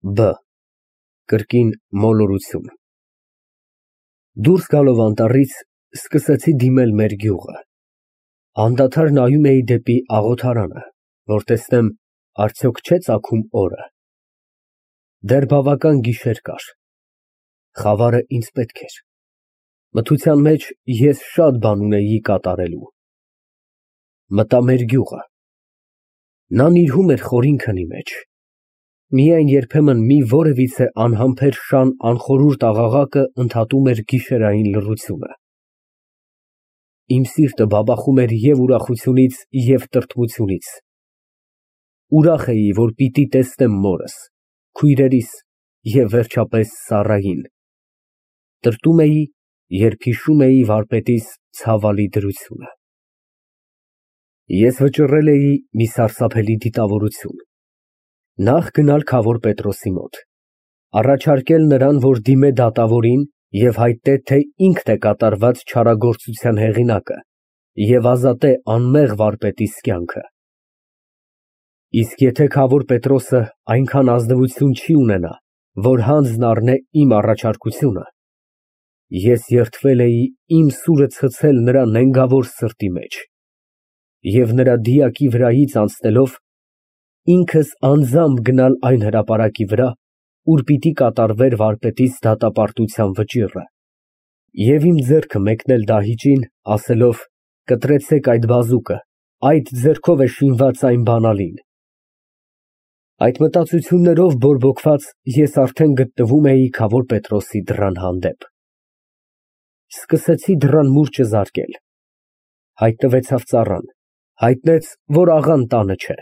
Բ. Կրկին մոլորություն։ Դուրս գալով անտառից, սկսեցի դիմել մեր գյուղը։ Անդադար նայում էի դեպի աղոթարանը, որ տեսնեմ արդյոք չէ ծագում օրը։ Դեռ բավական գիշեր կար։ Խավարը ինձ պետք էր։ Մթության մեջ ես շատ բան ունեի կատարելու։ Մտա մեր գյուղը։ Նա նիրհում էր խորին քնի մեջ։ Միայն երբեմն մի որևիցե անհամբեր շան անխորուրդ աղաղակը ընդհատում էր գիշերային լռությունը։ Իմ սիրտը բաբախում էր և ուրախությունից, և տրտմությունից։ Ուրախ էի, որ պիտի տեսնեմ մորս, քույրերիս և վերջապես Սառային։ Տրտում էի, երբ հիշում էի վարպետիս ցավալի դրությունը։ Ես վճռել էի մի սարսափելի դիտավորություն։ Նախ գնալ քավոր Պետրոսի մոտ, առաջարկել նրան, որ դիմե դատավորին և հայտնե, թե ինքն է կատարված չարագործության հեղինակը և ազատե անմեղ վարպետիս կյանքը։ Իսկ եթե քավոր Պետրոսը այնքան ազնվություն չի ունենա, որ հանձն առնե իմ առաջարկությունը, ես երդվել էի իմ սուրը ցցել նրա նենգավոր սրտի մեջ և նրա դիակի վրայից անցնելով, ինքս անձամբ գնալ այն հրապարակի վրա, ուր պիտի կատարվեր վարպետիս դատապարտության վճիռը, և իմ ձեռքը մեկնել դահիճին, ասելով. «Կտրեցեք այդ բազուկը, այդ ձեռքով է շինված այն բանալին»։ Այդ մտածություններով բորբոքված, ես արդեն գտնվում էի քավոր Պետրոսի դռան հանդեպ։ Սկսեցի դռան մուրճը զարկել։ Հայտնվեցավ ծառան, հայտնեց, որ աղան տանը չէ։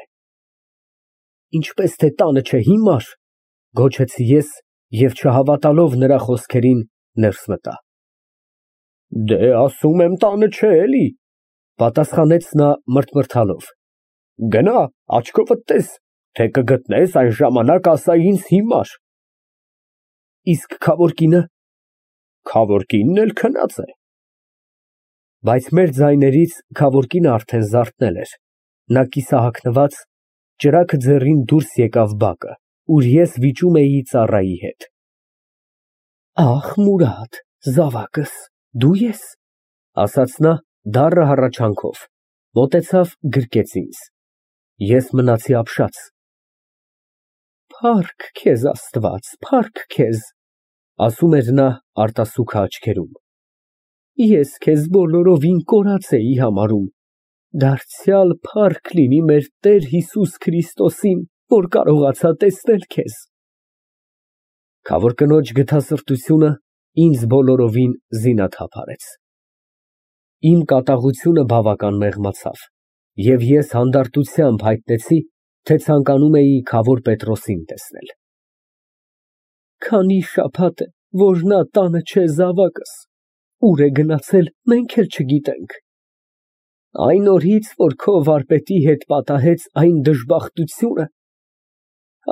«Ինչպես թե տանը չէ, հիմար», գոչեցի ես և չհավատալով նրա խոսքերին, ներս մտա։ «Դե, ասում եմ, տանը չէ, էլի», պատասխանեց նա մրթմրթալով։ «Գնա, աչքովդ տես, թե կգտնես, այն ժամանակ ասա ինձ հիմար»։ «Իսկ քավոր կինը»։ «Քավոր կինն էլ քնած է»։ Բայց մեր ձայներից քավոր կինը արդեն զարթնել էր, նա կիսահագնված, ճրագը ձեռին դուրս եկավ բակը, ուր ես վիճում էի ծառայի հետ։ «Ախ, Մուրադ, զավակս, դու ես», ասաց նա դառը հառաչանքով, մոտեցավ, գրկեց ինձ։ Ես մնացի ապշած։ «Փառք քեզ, Աստված, փառք քեզ», ասում էր նա արտասուքը աչքերում։ «Ես քեզ բոլորովին կորած էի համարում, դարձյալ փառք լինի մեր Տեր Հիսուս Քրիստոսին, որ կարողացա տեսնել քեզ»։ Քավոր կնոջ գթասրտությունը ինձ բոլորովին զինաթափ արեց։ Իմ կատաղությունը բավական մեղմացավ, և ես հանդարտությամբ հայտնեցի, թե ցանկանում էի քավոր Պետրոսին տեսնել։ «Քանի շաբաթ է, որ նա տանը չէ, զավակս, ուր է գնացել, մենք էլ չգիտենք։ Այն օրից, որ քո վարպետի հետ պատահեց այն դժբախտությունը,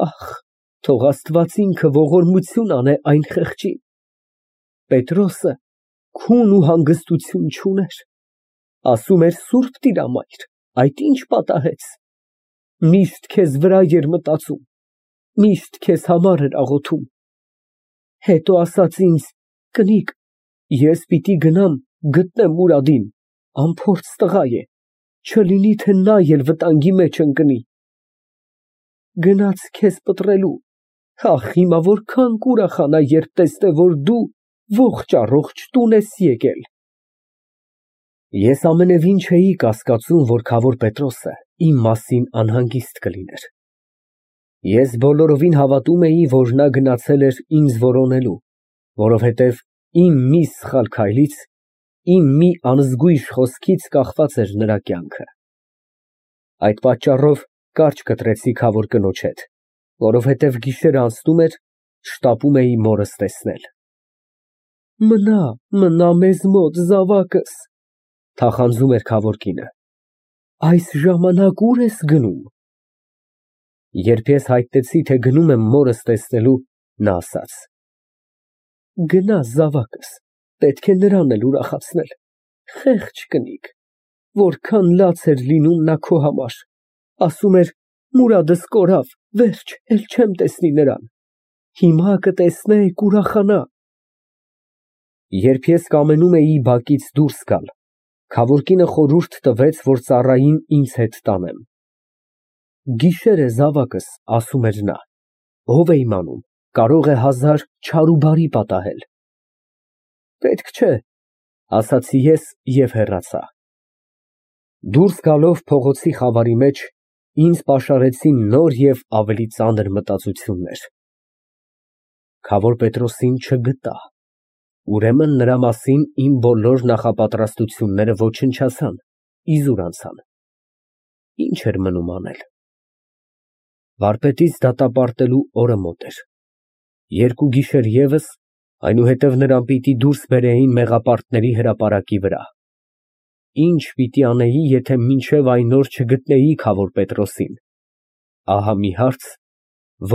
ախ, թող Աստված ինքը ողորմություն անե այն խեղճին։ Պետրոսը քուն ու հանգստություն չուներ, ասում էր Սուրբ Տիրամայր, այդ ինչ պատահեց։ Միշտ քեզ վրա էր մտածում, միշտ քեզ համար էր աղոթում։ Հետո ասաց ինձ. կնիկ, ես պիտի գնամ, գտնեմ Մուրադին, անփորձ տղա է, չլինի թե նա էլ վտանգի մեջ ընկնի։ Գնաց քեզ պտռելու, ախ, հիմա որքան կուրախանա, երբ տեսնե, որ դու ողջ տուն ես եկել։ Ես ամենևին չէի կասկածում, որ քավոր Պետրոսը իմ մասին անհանգիստ կլիներ։ Ես բոլորովին հավատում էի, որ նա գնացել էր ինձ որոնելու, որովհետև իմ մի սխալ քայլից, իմ մի անզգույշ խոսքից կախված էր նրա կյանքը։ Այդ պատճառով կարճ կտրեցի քավոր կնոջ հետ, որովհետև գիշերն անցնում էր, շտապում էի մորս տեսնել։ Մնա մեզ մոտ, զավակս, թախանձում էր քավոր կինը։ Այս ժամանակ ուր ես գնում։ Երբ ես հայտնեցի, թե գնում եմ մորս տեսնելու, նա ասաց. «Գնա, զավակս, պետք է նրան էլ ուրախացնել, խեղճ կնիկ, որքան լաց էր լինում նա քո համար, ասում էր Մուրադս կորավ, վերջ, էլ չեմ տեսնի նրան։ Հիմա կտեսնեք, ուրախանա։ Երբ ես կամենում էի բակից դուրս գալ, Քավորկինը խորհուրդ տվեց, որ ծառային ինձ հետ տանեմ։ Գիշեր է, զավակս, ասում էր նա, ով է իմանում, կարող է 1000 չար ու բարի պատահել։ Պետք չէ, ասացի ես և հեռացա։ Դուրս գալով փողոցի խավարի մեջ, ինձ պաշարեցին նոր և ավելի ծանր մտածություններ։ Քավոր Պետրոսին չգտա։ Ուրեմն նրա մասին իմ բոլոր նախապատրաստությունները ոչնչացան, իզուր անցան։ Ինչ էր մնում անել։ Վարպետից դատապարտելու օրը մոտ էր։ 2 գիշեր ևս, այնուհետև նրան պիտի դուրս բերեին մեղապարտների հրապարակի վրա։ Ինչ պիտի անեի, եթե մինչև այն օր չգտնեի Քավոր Պետրոսին։ Ահա մի հարց,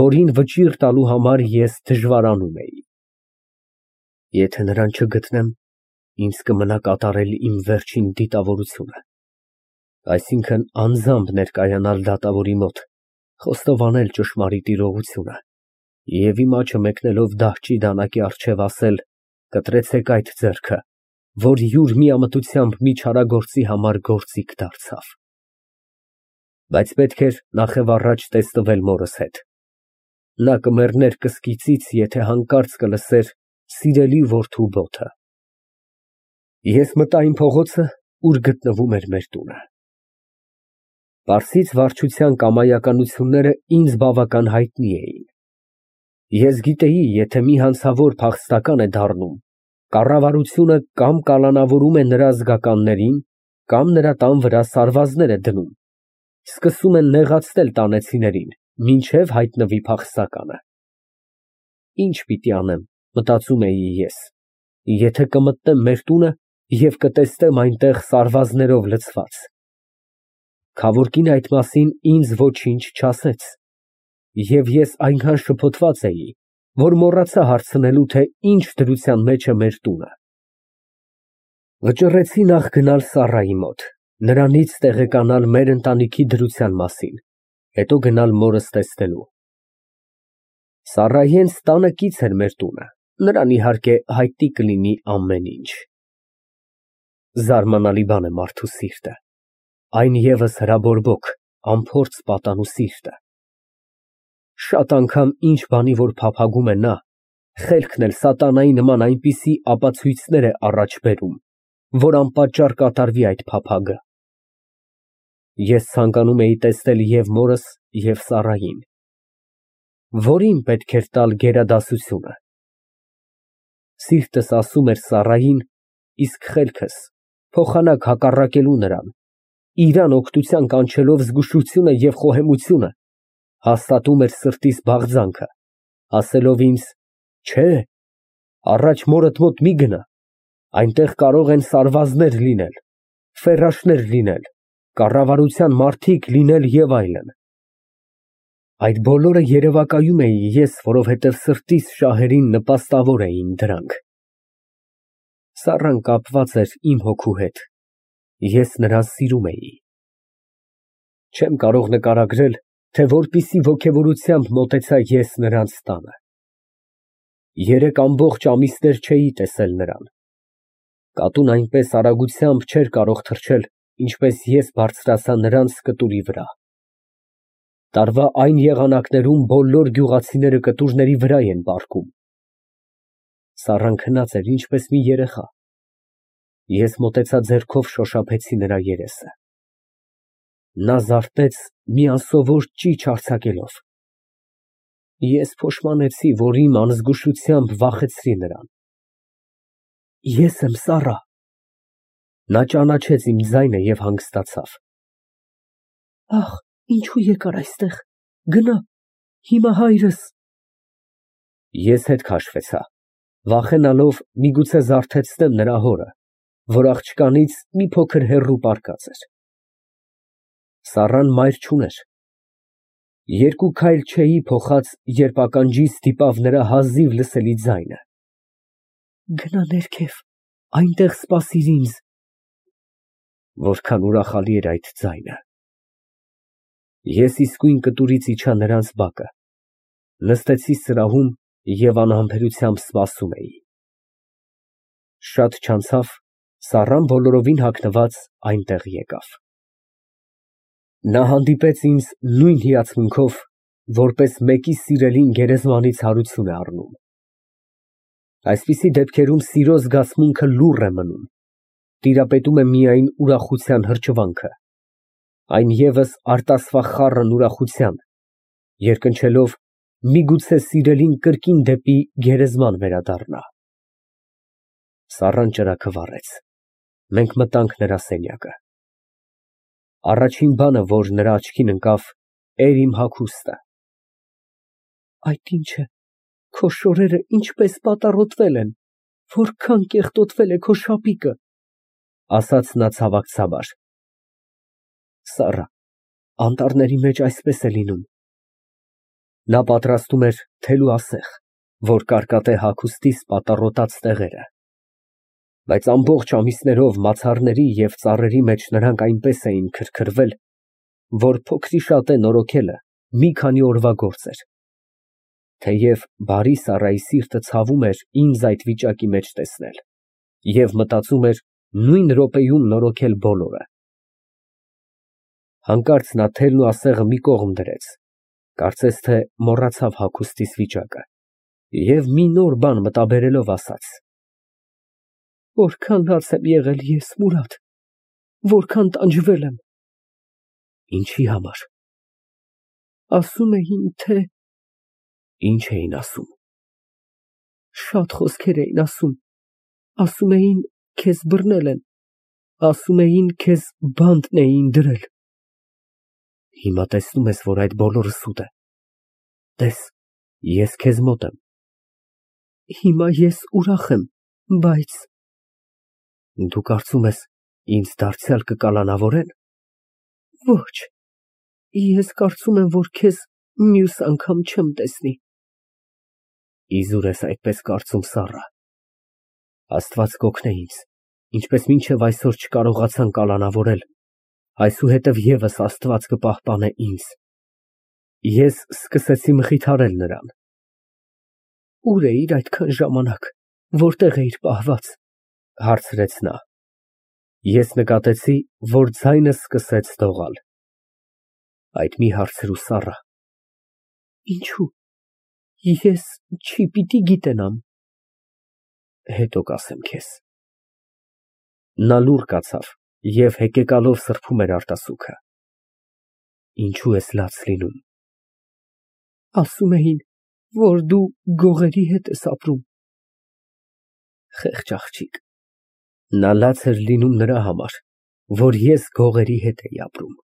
որին վճիռ տալու համար ես դժվարանում էի։ Եթե նրան չգտնեմ, ինձ կմնա կատարել իմ վերջին դիտավորությունը, այսինքն անձամբ ներկայանալ դատավորի մոտ, խոստովանել ճշմարիտ իրողությունը և իմ աչը մեկնելով դահճի դանակի առջև ասել. կտրեցեք այդ ձեռքը, որ յուր միամտությամբ մի չարագործի համար գործիք դարձավ։ Բայց պետք էր նախև առաջ տեսնվել մորս հետ։ Նա կմեռներ կսկիծից, եթե հանկարծ կլսեր սիրելի որդու բոթը։ Ես մտա այն փողոցը, ուր գտնվում էր մեր տունը։ Պարսից վարչության կամայականությունները ինձ բավական հայտնի էին։ Ես գիտեի, եթե մի հանցավոր փախստական է դառնում, կառավարությունը կամ կալանավորում է նրա զգականներին, կամ նրա տան վրա սարվազներ է դնում, սկսում են նեղացնել տանեցիներին, մինչև հայտնվի փախստականը։ Ինչ պիտի անեմ, մտածում էի ես, եթե կմտնեմ մեր տունը և կտեսնեմ այնտեղ սարվազներով լցված։ Քավորկին այդ մասին ինձ ոչինչ չասեց, և ես այնքան շփոթված էի, որ մոռացա հարցնելու, թե ինչ դրության մեջ է մեր տունը։ Վճռեցի նախ գնալ Սառայի մոտ, նրանից տեղեկանալ մեր ընտանիքի դրության մասին, հետո գնալ մորս տեսնելու։ Սառայի հենց տանը կից էր մեր տունը, նրան իհարկե հայտնի կլինի ամեն ինչ։ Զարմանալի բան է մարդու սիրտը, այն ևս հրաբորբոք, անփորձ պատանու սիրտը։ Շատ անգամ ինչ բանի որ փափագում է նա, խելքն էլ սատանայի նման այնպիսի ապացույցներ է առաջ բերում, որ անպատճառ կատարվի այդ փափագը։ Ես ցանկանում էի տեսնել և մորս, և Սառային։ Որին պետք էր տալ գերադասությունը։ Սիրտս ասում էր Սառային, իսկ խելքս փոխանակ հակառակելու նրան, իրան օգնության կանչելով զգուշությունը և խոհեմությունը, հաստատում էր սրտիս բաղձանքը, ասելով ինձ. չէ, առաջ մորդ մոտ մի գնա, այնտեղ կարող են սարվազներ լինել, ֆերաշներ լինել, կառավարության մարդիկ լինել և այլն։ Այդ բոլորը երևակայում էի ես, որովհետև սրտիս շահերին նպաստավոր էին դրանք։ Սառան կապված էր իմ հոգու հետ, ես նրան սիրում էի։ Չեմ կարող նկարագրել, թե որպիսի ոգևորությամբ մոտեցա ես նրանց տանը։ 3 ամբողջ ամիսներ չէի տեսել նրան։ Կատուն այնպես արագությամբ չէր կարող թռչել, ինչպես ես բարձրացա նրանց կտուրի վրա։ Տարվա այն եղանակներում բոլոր գյուղացիները կտուրների վրա են պառկում։ Սառան քնած էր ինչպես մի երեխա։ Ես մոտեցա ձեռքով շոշափեցի նրա երեսը։ Նա զարթնեց մի անսովոր ճիչ արձակելով։ Ես փոշմանեցի, որ իմ անզգուշությամբ վախեցրի նրան։ Ես եմ Սառա։ Նա ճանաչեց իմ ձայնը և հանգստացավ։ Ախ, ինչու եկար այստեղ, գնա, հիմա հայրս… Ես հետ քաշվեցա, վախենալով միգուցե զարթեցնեմ նրա հորը, որ աղջկանից մի փոքր հեռու պառկած էր։ Սառան մայր չուներ։ 2 քայլ չէի փոխած, երբ ականջիս դիպավ նրա հազիվ լսելի ձայնը. Գնա ներքև, այնտեղ սպասիր ինձ։ Որքան ուրախալի էր այդ ձայնը։ Ես իսկույն կտուրից իջա նրանց բակը, նստեցի սրահում և անհամբերությամբ սպասում էի։ Շատ չանցավ, Սառան բոլորովին հագնված այնտեղ եկավ։ Նա հանդիպեց ինձ նույն հիացմունքով, որպես մեկի սիրելին գերեզմանից հարություն է առնում։ Այսպիսի դեպքերում սիրո զգացմունքը լուռ է մնում, տիրապետում է միայն ուրախության հրճվանքը, այն ևս արտասվախառն ուրախության, երկնչելով միգուցե սիրելին կրկին դեպի գերեզման վերադառնա։ Սառան ճրագը վառեց, մենք մտանք նրա սենյակը։ Առաջին բանը, որ նրա աչքին ընկավ, էր իմ հագուստը։ Այդ ի՞նչ է, քո շորերը ինչպես պատառոտվել են, որքան կեղտոտվել է քո շապիկը, ասաց նա ցավակցաբար։ Սառա, անտառների մեջ այսպես է լինում։ Նա պատրաստում էր թելու ասեղ, որ կարկատե հագուստիս պատառոտած տեղերը, բայց ամբողջ ամիսներով մացառների և ծառերի մեջ նրանք այնպես էին քրքրվել, որ փոքրիշատե նորոգելը մի քանի օրվա գործ էր։ Թեև բարի Սառայի սիրտը ցավում էր ինձ այդ վիճակի մեջ տեսնել և մտածում էր նույն րոպեում նորոգել բոլորը։ Հանկարծ նա թելն ու ասեղը մի կողմ դրեց, կարծես թե մոռացավ հագուստիս վիճակը և մի նոր բան մտաբերելով ասաց. Որքան լաց եմ եղել ես, Մուրադ, որքան տանջվել եմ։ Ինչի համար։ Ասում էին, թե… Ինչ էին ասում։ Շատ խոսքեր էին ասում, ասում էին, քեզ բռնել են, ասում էին, քեզ բանտն էին դրել։ Հիմա տեսնում ես, որ այդ բոլորը սուտ է։ Տես, ես քեզ մոտ եմ։ Հիմա ես ուրախ եմ, բայց… Դու կարծում ես, ինձ դարձյալ կկալանավորե՞ն։ Ոչ, ես կարծում եմ, որ քեզ մյուս անգամ չեմ տեսնի։ Իզուր ես այդպես կարծում, Սառա։ Աստված կօգնե ինձ, ինչպես մինչև այսօր չկարողացան կալանավորել, այսուհետև ևս Աստված կպահպանե ինձ։ Ես սկսեցի մխիթարել նրան։ Ուր էիր այդքան ժամանակ, որտեղ էիր պահված, հարցրեց նա։ Ես նկատեցի, որ ձայնս սկսեց դողալ։ Այդ մի հարցրու, Սառա։ Ինչո՞ւ։ Ես չի պիտի գիտենամ։ Հետո կասեմ քեզ։ Նա լուռ կացավ և հեկեկալով սրբում էր արտասուքը։ Ինչո՞ւ ես լաց լինում։ Ասում էին, որ դու գողերի հետ ես ապրում։ Խեղճ աղջիկ։ Նա լաց էր լինում նրա համար, որ ես գողերի հետ էի ապրում։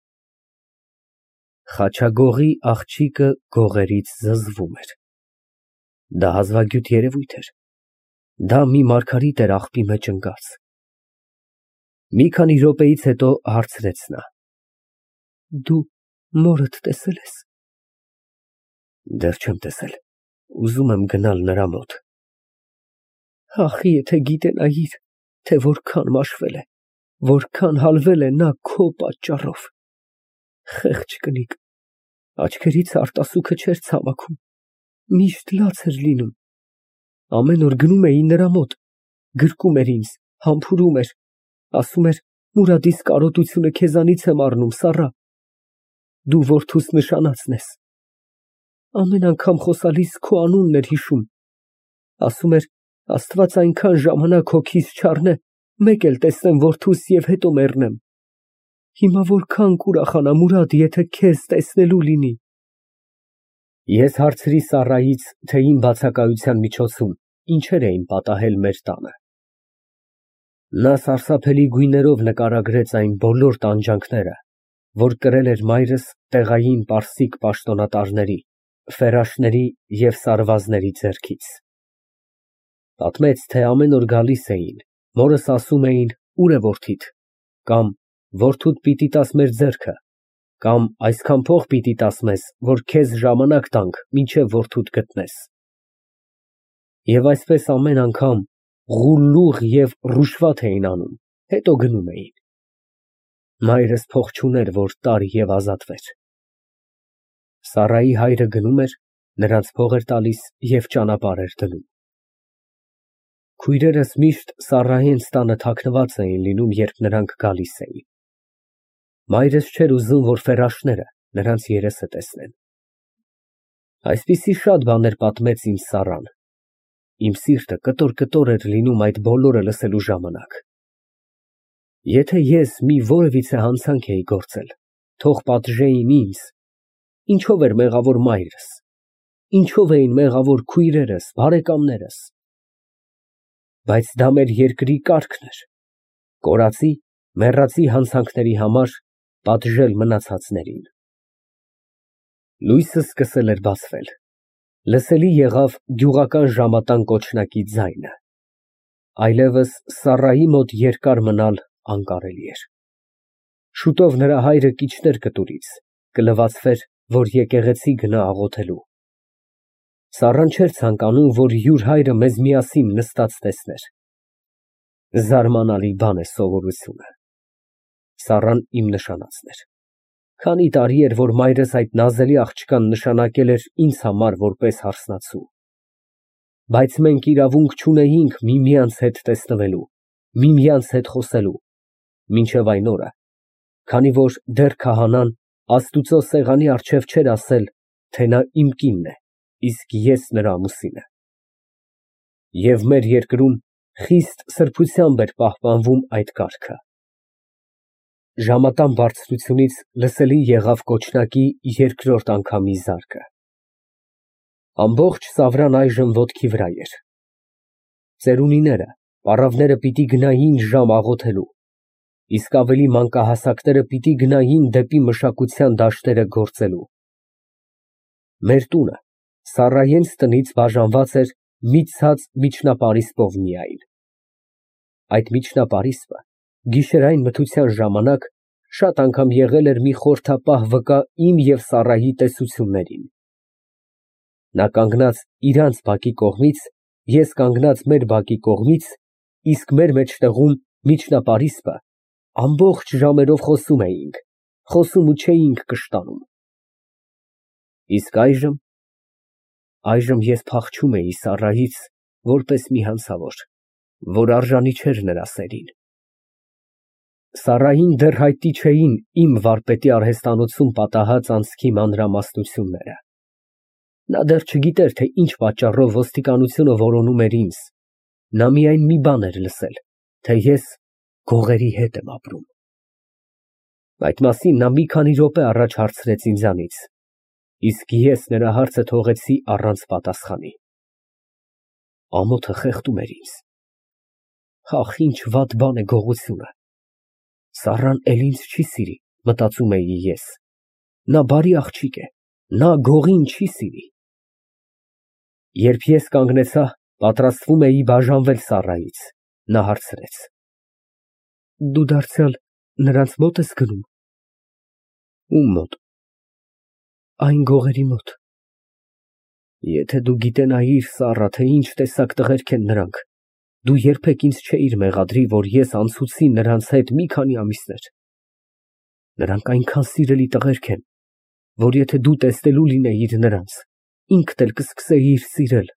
Խաչագողի աղջիկը գողերից զզվում էր։ Դա հազվագյուտ երևույթ էր։ Դա մի մարգարիտ էր աղբի մեջ ընկած։ Մի քանի րոպեից հետո հարցրեց նա. Դու մորդ տեսել ես։ Դեռ չեմ տեսել, ուզում եմ գնալ նրա մոտ։ Ախ, եթե գիտենայիր, թե որքան մաշվել է, որքան հալվել է նա քո պատճառով։ Խեղճ կնիկ, աչքերից արտասուքը չէր ցամաքում, միշտ լաց էր լինում։ Ամեն օր գնում էի նրա մոտ, գրկում էր ինձ, համբուրում էր, ասում էր, Մուրադիս կարոտությունը քեզանից եմ առնում, Սառա, դու որդուս նշանածն ես։ Ամեն անգամ խոսալիս քո անունն էր հիշում, ասում էր, Աստված այնքան ժամանակ հոգիս չառնե, մեկ էլ տեսնեմ որդուս և հետո մեռնեմ։ Հիմա որքան կուրախանա, Մուրադ, եթե քեզ տեսնելու լինի։ Ես հարցրի Սառայից, թե իմ բացակայության միջոցում ինչեր էին պատահել մեր տանը։ Նա սարսափելի գույներով նկարագրեց այն բոլոր տանջանքները, որ կրել էր մայրս տեղային պարսիկ պաշտոնատարների, ֆերաշների և սարվազների ձեռքից։ Պատմեց, թե ամեն օր գալիս էին, մորս ասում էին, ուր է որդիդ, կամ որդուդ պիտի տաս մեր ձեռքը, կամ այսքան փող պիտի տաս մեզ, որ քեզ ժամանակ տանք, մինչև որդուդ գտնես։ Եվ այսպես ամեն անգամ ղուլլուղ և ռուշվաթ էին անում, հետո գնում էին։ Մայրս փող չուներ, որ տար և ազատվեր։ Սառայի հայրը գնում էր, նրանց փող էր տալիս և ճանապարհ էր դնում։ Քույրերս միշտ Սառայի հենց տանը թաքնված էին լինում, երբ նրանք գալիս էին։ Մայրս չէր ուզում, որ ֆերաշները նրանց երեսը տեսնեն։ Այսպիսի շատ բաներ պատմեց ինձ Սառան։ Իմ սիրտը կտոր էր լինում այդ բոլորը լսելու ժամանակ։ Եթե ես մի որևիցե հանցանք էի գործել, թող պատժեին ինձ, ինչով էր մեղավոր մայրս, ինչով էին մեղավոր քույրերս, բարեկամներս։ Բայց դա մեր երկրի կարգն էր, կորածի, մեռածի հանցանքների համար պատժել մնացածներին։ Լույսը սկսել էր բացվել, լսելի եղավ գյուղական ժամատան կոչնակի ձայնը, այլևս Սառայի մոտ երկար մնալ անկարելի էր։ Շուտով նրա հայրը կիջներ կտուրից, կլվացվեր, որ եկեղեցի գնա աղոթելու։ Սառան չէր ցանկանում, որ յուր հայրը մեզ միասին նստած տեսներ։ Զարմանալի բան է սովորությունը։ Սառան իմ նշանածն էր։ Քանի տարի էր, որ մայրս այդ նազելի աղջկան նշանակել էր ինձ համար որպես հարսնացու։ Բայց մենք իրավունք չունեինք միմյանց հետ տեսնվելու, միմյանց հետ խոսելու, մինչև այն օրը, քանի որ դեռ քահանան Աստուծո սեղանի առջև չէր ասել, թե նա իմ կինն է, իսկ ես նրա ամուսինը։ Եվ մեր երկրում խիստ սրբությամբ էր պահպանվում այդ կարգը։ Ժամատան բարձրությունից լսելի եղավ կոչնակի երկրորդ անգամի զարկը։ Ամբողջ Սավրան այժմ ոտքի վրա էր։ Ծերունիները, պառավները պիտի գնային ժամ աղոթելու, իսկ ավելի մանկահասակները պիտի գնային դեպի մշակության դաշտերը գործելու։ Մեր տունը Սառայենց տնից բաժանված էր մի ցած միջնապարիսպով միայն։ Այդ միջնապարիսպը գիշերային մթության ժամանակ շատ անգամ եղել էր մի խորհրդապահ վկա իմ և Սառայի տեսություններին։ Նա կանգնած իրանց բակի կողմից, ես կանգնած մեր բակի կողմից, իսկ մեր մեջտեղում միջնապարիսպը, ամբողջ ժամերով խոսում էինք, խոսում ու չէինք կշտանում։ Իսկ այժմ ես փախչում էի Սառայից որպես մի հանցավոր, որ արժանի չէր նրա սերին։ Սառային դեռ հայտնի չէին իմ վարպետի արհեստանոցում պատահած անցքի մանրամասնությունները։ Նա դեռ չգիտեր, թե ինչ պատճառով ոստիկանությունը որոնում էր ինձ, նա միայն մի բան էր լսել, թե ես գողերի հետ եմ ապրում։ Այդ մասին նա մի քանի րոպե առաջ հարցրեց ինձանից, իսկ ես նրա հարցը թողեցի առանց պատասխանի։ Ամոթը խեղդում էր ինձ։ Ախ, ինչ վատ բան է գողությունը։ Սառան էլ ինձ չի սիրի, մտածում էի ես։ Նա բարի աղջիկ է, նա գողին չի սիրի։ Երբ ես կանգնեցա, պատրաստվում էի բաժանվել Սառայից, նա հարցրեց. Դու դարձյալ նրանց մոտ ես գնում։ Ում մոտ։ Այն գողերի մոտ։ Եթե դու գիտենայիր, Սառա, թե ինչ տեսակ տղերք են նրանք, դու երբեք ինձ չէիր մեղադրի, որ ես անցուցի նրանց հետ մի քանի ամիսներ։ Նրանք այնքան սիրելի տղերք են, որ եթե դու տեսնելու լինեիր նրանց, ինքդ էլ կսկսեիր սիրել։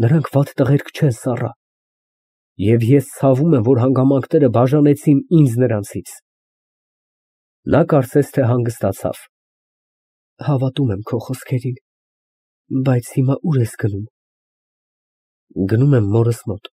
Նրանք վատ տղերք չեն, Սառա, և ես ցավում եմ, որ հանգամանքները բաժանեցին ինձ նրանցից։ Նա կարծես թե հանգստացավ։ Հավատում եմ քո խոսքերին, բայց հիմա ուր ես գնում։ Գնում եմ մորս մոտ։